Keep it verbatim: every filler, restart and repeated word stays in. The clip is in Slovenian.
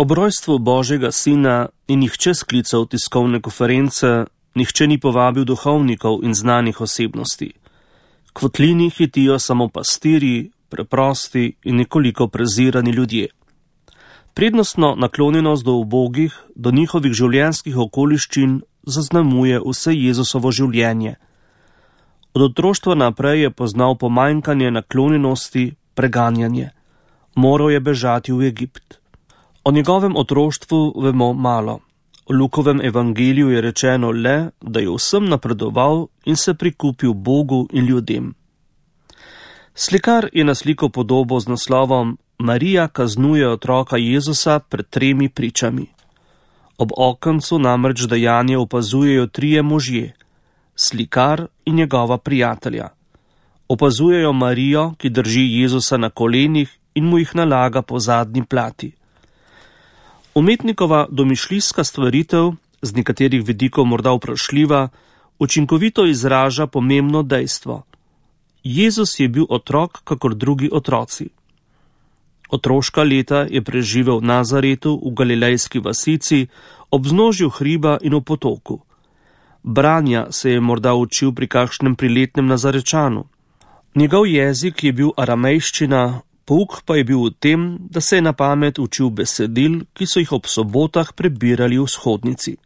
Ob rojstvu Božjega sina ni nihče sklical tiskovne konference, nihče ni povabil duhovnikov in znanih osebnosti. K votlini hitijo samo pastirji, preprosti in nekoliko prezirani ljudje. Prednostno naklonjenost do ubogih, do njihovih življenjskih okoliščin zaznamuje vse Jezusovo življenje. Od otroštva naprej je poznal pomanjkanje naklonjenosti, preganjanje. Moral je bežati v Egipt. O njegovem otroštvu vemo malo. V Lukovem evangeliju je rečeno le, da je vsem napredoval in se prikupil Bogu in ljudem. Slikar je naslikal podobo z naslovom Marija kaznuje otroka Jezusa pred tremi pričami. Ob okencu namreč dejanje opazujejo trije možje, slikar in njegova prijatelja. Opazujejo Marijo, ki drži Jezusa na kolenih in mu jih nalaga po zadnji plati. Umetnikova domišljijska stvaritev, z nekaterih vidikov morda vprašljiva, učinkovito izraža pomembno dejstvo. Jezus je bil otrok, kakor drugi otroci. Otroška leta je preživel v Nazaretu, v galilejski vasici, ob vznožju hriba in v potoku. Branja se je morda učil pri kakšnem priletnem Nazarečanu. Njegov jezik je bil aramejščina, pouk pa je bil v tem, da se je na pamet učil besedil, ki so jih ob sobotah prebirali v shodnici.